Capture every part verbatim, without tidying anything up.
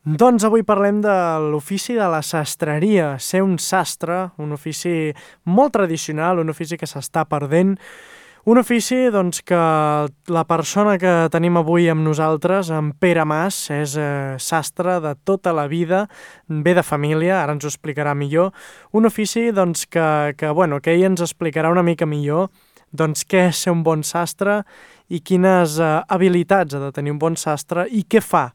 Doncs avui parlem de l'ofici de la sastreria, ser un sastre, un ofici molt tradicional, un ofici que s'està perdent, un ofici doncs, que la persona que tenim avui amb nosaltres, en Pere Mas, és eh, sastre de tota la vida, ve de família, ara ens ho explicarà millor, un ofici doncs, que, que, bueno, que ell ens explicarà una mica millor doncs, què és ser un bon sastre i quines eh, habilitats ha de tenir un bon sastre i què fa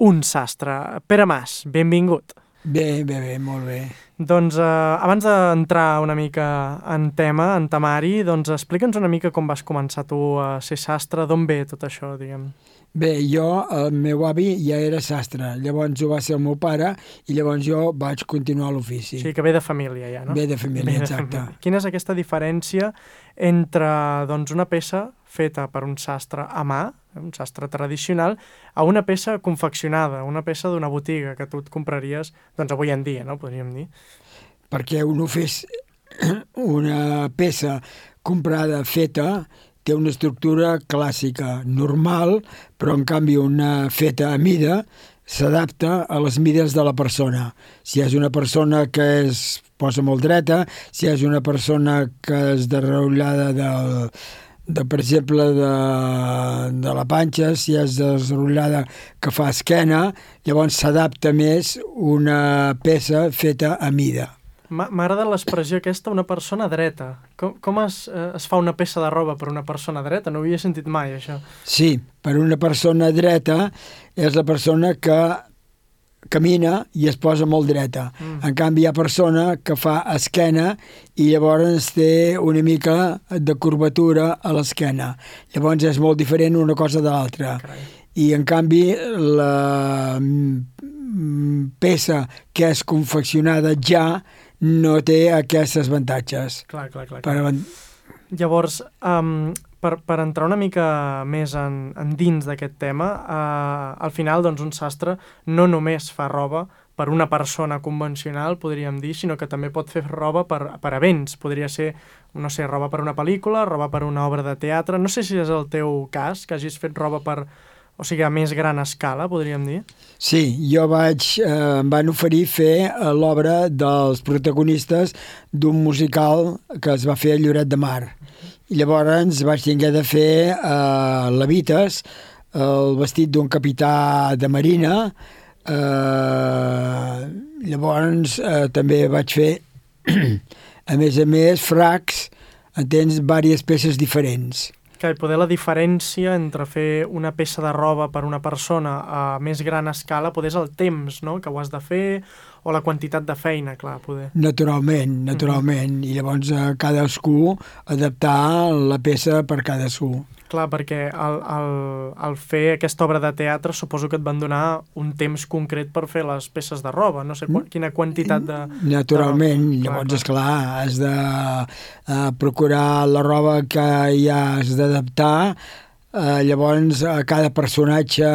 un sastre. Pere Mas, benvingut. Bé, bé, bé, molt bé. Doncs eh, abans d'entrar una mica en tema, en temari, doncs explica'ns una mica com vas començar tu a ser sastre, d'on ve tot això, diguem. Bé, jo, el meu avi ja era sastre, llavors ho va ser el meu pare i llavors jo vaig continuar l'ofici. O sigui que ve de família ja, no? Ve de família, Ve de exacte. família. Quina és aquesta diferència entre doncs, una peça feta per un sastre a mà, un sastre tradicional, a una peça confeccionada, una peça d'una botiga que tu et compraries, doncs avui en dia, no? Podríem dir. Perquè un fes una peça comprada, feta, té una estructura clàssica, normal, però en canvi una feta a mida s'adapta a les mides de la persona. Si és una persona que es posa molt dreta, si és una persona que és derrotllada del, de, per exemple, de, de la panxa, si és desrotllada que fa esquena, llavors s'adapta més una peça feta a mida. M'agrada l'expressió aquesta, una persona dreta. Com, com es, eh, es fa una peça de roba per una persona dreta? No ho havia sentit mai, això. Sí, per una persona dreta és la persona que camina i es posa molt dreta. Mm. En canvi, hi ha persona que fa esquena i llavors té una mica de curvatura a l'esquena. Llavors és molt diferent una cosa de l'altra. I en canvi, la peça que és confeccionada ja no té aquests avantatges. Clar, clar, clar. Per... Llavors, um, per, per entrar una mica més en, en dins d'aquest tema, uh, al final doncs, un sastre no només fa roba per una persona convencional, podríem dir, sinó que també pot fer roba per, per events. Podria ser, no sé, roba per una pel·lícula, roba per una obra de teatre. No sé si és el teu cas, que hagis fet roba per... O sigui, a més gran escala, podríem dir? Sí, jo vaig, eh, em van oferir fer eh, l'obra dels protagonistes d'un musical que es va fer a Lloret de Mar. I llavors vaig tenir de fer eh, Levites, el vestit d'un capità de marina. Eh, llavors eh, també vaig fer, a més a més, fracs, entens, diverses peces diferents. Que poder la diferència entre fer una peça de roba per una persona a més gran escala poder és el temps, no?, que ho has de fer, o la quantitat de feina, clar, poder. Naturalment, naturalment. Mm-hmm. I llavors a cadascú adaptar la peça per cadascú. Clar, perquè al, al, al fer aquesta obra de teatre suposo que et van donar un temps concret per fer les peces de roba, no sé qu quina quantitat de... Naturalment, de... llavors, esclar, has de uh, procurar la roba que ja has d'adaptar, uh, llavors uh, cada personatge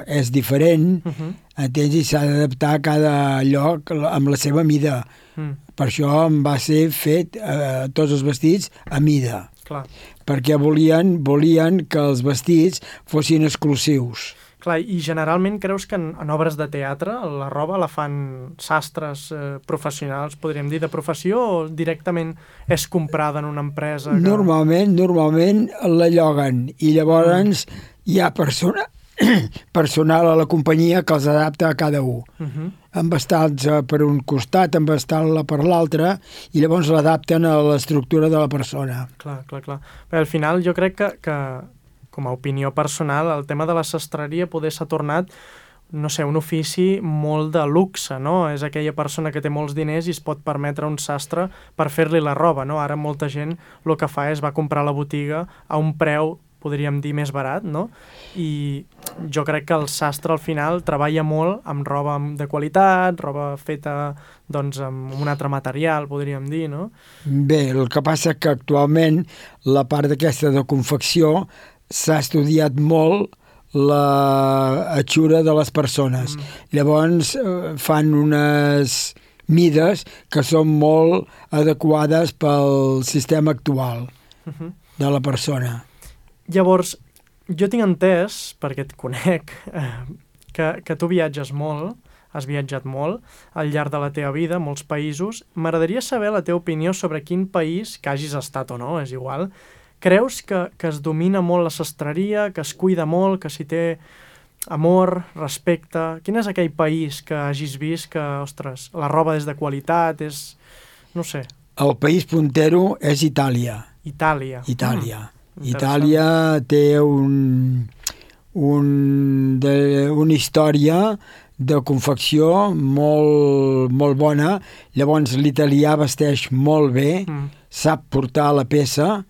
és diferent, uh-huh. entens? I s'ha d'adaptar a cada lloc amb la seva mida. Mm. Per això em va ser fet uh, tots els vestits a mida. Clar. Perquè volien, volien que els vestits fossin exclusius. Clar, i generalment creus que en, en obres de teatre la roba la fan sastres eh, professionals, podríem dir, de professió, o directament és comprada en una empresa? Que... Normalment, normalment la lloguen i llavors mm. hi ha persona, personal a la companyia que els adapta a cada un. Uh-huh. Amb estats per un costat, amb estar-la per l'altre, i llavors l'adapten a l'estructura de la persona. Clar, clar, clar. Però al final jo crec que, que, com a opinió personal, el tema de la sastreria poder s'ha tornat, no sé, un ofici molt de luxe, no? És aquella persona que té molts diners i es pot permetre un sastre per fer-li la roba, no? Ara molta gent el que fa és va comprar a la botiga a un preu, podríem dir, més barat, no? I jo crec que el sastre al final treballa molt amb roba de qualitat, roba feta doncs amb un altre material, podríem dir, no? Bé, el que passa que actualment la part d'aquesta de confecció s'ha estudiat molt la atxura de les persones. Mm. Llavors eh, fan unes mides que són molt adequades pel sistema actual uh-huh. de la persona. Llavors, jo tinc entès, perquè et conec, eh, que, que tu viatges molt has viatjat molt al llarg de la teva vida, molts països. M'agradaria saber la teva opinió sobre quin país, que hagis estat o no, és igual, creus que, que es domina molt la sastreria, que es cuida molt, que s'hi té amor, respecte? Quin és aquell país que hagis vist que, ostres, la roba és de qualitat, és... no sé. El país puntero és Itàlia. Itàlia. Itàlia. Mm, Itàlia té un, un, de, una història de confecció molt, molt bona. Llavors l'italià vesteix molt bé, mm. sap portar la peça,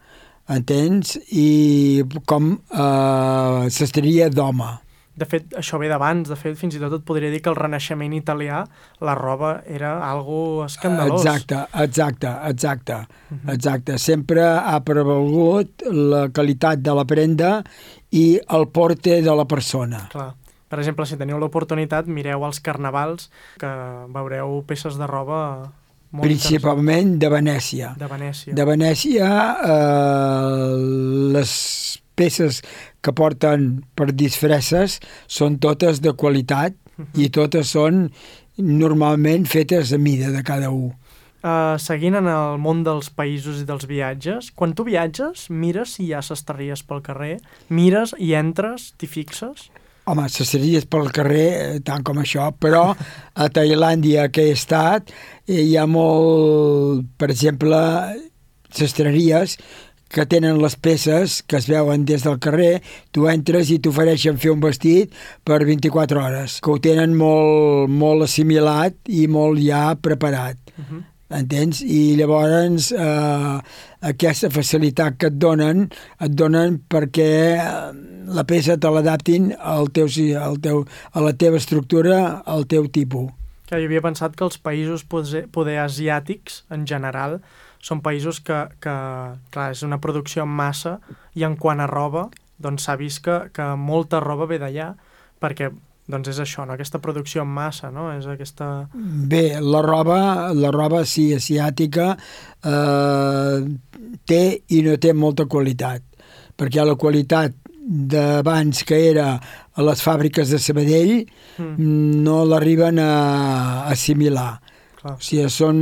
entens? I com eh, sastreria d'home. De fet, això ve d'abans. De fet, fins i tot et podria dir que el Renaixement italià, la roba era algo escandalós. Exacte, exacte, exacte. Uh-huh. Exacte. Sempre ha prevalgut la qualitat de la prenda i el porte de la persona. Clar. Per exemple, si teniu l'oportunitat, mireu els carnavals, que veureu peces de roba... Principalment de Venècia. De Venècia. De Venècia, eh, les peces que porten per disfresses són totes de qualitat uh-huh. i totes són normalment fetes a mida de cada un. Uh, seguint en el món dels països i dels viatges, quan tu viatges, mires si hi ha sastreries pel carrer, mires i entres, t'hi fixes? Home, sastreries pel carrer, tant com això, però a Tailàndia que he estat hi ha molt, per exemple, sastreries que tenen les peces que es veuen des del carrer, tu entres i t'ofereixen fer un vestit per vint-i-quatre hores, que ho tenen molt, molt assimilat i molt ja preparat. Uh-huh. Entens? I llavors eh, aquesta facilitat que et donen, et donen perquè la peça te l'adaptin al teu, al teu, a la teva estructura, al teu tipus. Que jo havia pensat que els països poder, poder asiàtics, en general, són països que, que, clar, és una producció en massa i en quant a roba, doncs s'ha vist que, que molta roba ve d'allà, perquè doncs és això, no? Aquesta producció en massa, no? És aquesta... Bé, la roba, la roba sí, asiàtica, eh, té i no té molta qualitat, perquè la qualitat d'abans que era a les fàbriques de Sabadell mm. no l'arriben a assimilar. Clar. O sigui, són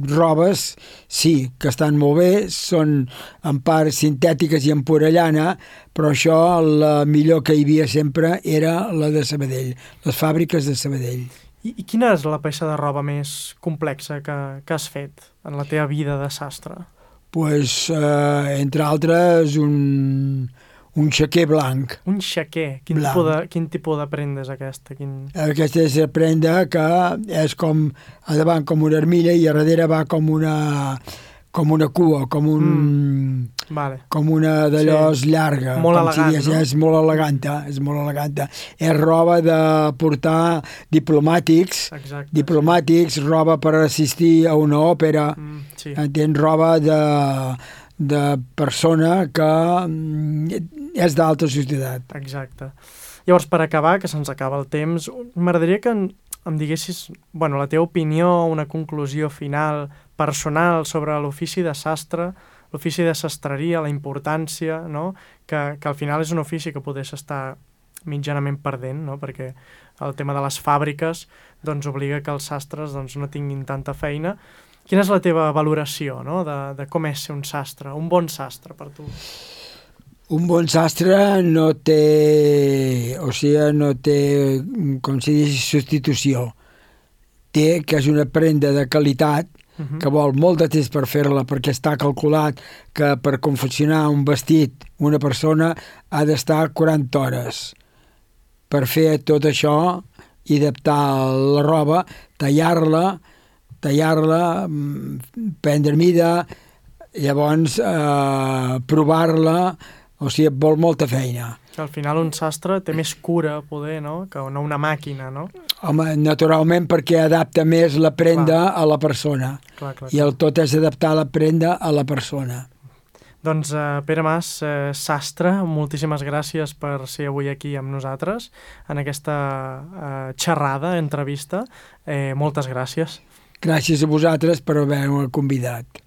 robes, sí, que estan molt bé, són en part sintètiques i en porellana, però això, la millor que hi havia sempre era la de Sabadell, les fàbriques de Sabadell. I, i quina és la peça de roba més complexa que, que has fet en la teva vida de sastre? Pues, eh, entre altres, un... un xaquer blanc. Un xaquer? Quin, blanc. Tipus de, quin tipus de prenda és aquesta? Quin... Aquesta és la prenda que és com a davant com una armilla i a darrere va com una, com una cua, com un... Mm. Vale. Com una d'allò sí. llarga. Molt elegant, si digués, no? És molt eleganta, és molt eleganta. És roba de portar diplomàtics, Exacte, diplomàtics, sí. roba per assistir a una òpera, mm, sí. entens? Roba de... de persona que és d'alta societat. Exacte. Llavors, per acabar, que se'ns acaba el temps, m'agradaria que em, em diguessis, bueno, la teva opinió, una conclusió final, personal, sobre l'ofici de sastre, l'ofici de sastreria, la importància, no? que, que al final és un ofici que podés estar mitjanament perdent, no? Perquè el tema de les fàbriques doncs, obliga que els sastres doncs, no tinguin tanta feina. Quina és la teva valoració, no? de, de com és ser un sastre, un bon sastre per tu? Un bon sastre no té, o sigui, no té, com si dius, substitució. Té que és una prenda de qualitat, uh-huh. que vol molt de temps per fer-la, perquè està calculat que per confeccionar un vestit una persona ha d'estar quaranta hores. Per fer tot això i adaptar la roba, tallar-la, tallar-la, prendre mida, llavors eh, provar-la, o sigui, vol molta feina. Que al final un sastre té més cura, poder, no? Que no una màquina, no? Home, naturalment perquè adapta més la prenda clar. A la persona. Clar, clar, I el tot és adaptar la prenda a la persona. Doncs, eh, Pere Mas, eh, sastre, moltíssimes gràcies per ser avui aquí amb nosaltres en aquesta eh, xerrada, entrevista. Eh, moltes gràcies. Gràcies a vosaltres per haver-me convidat.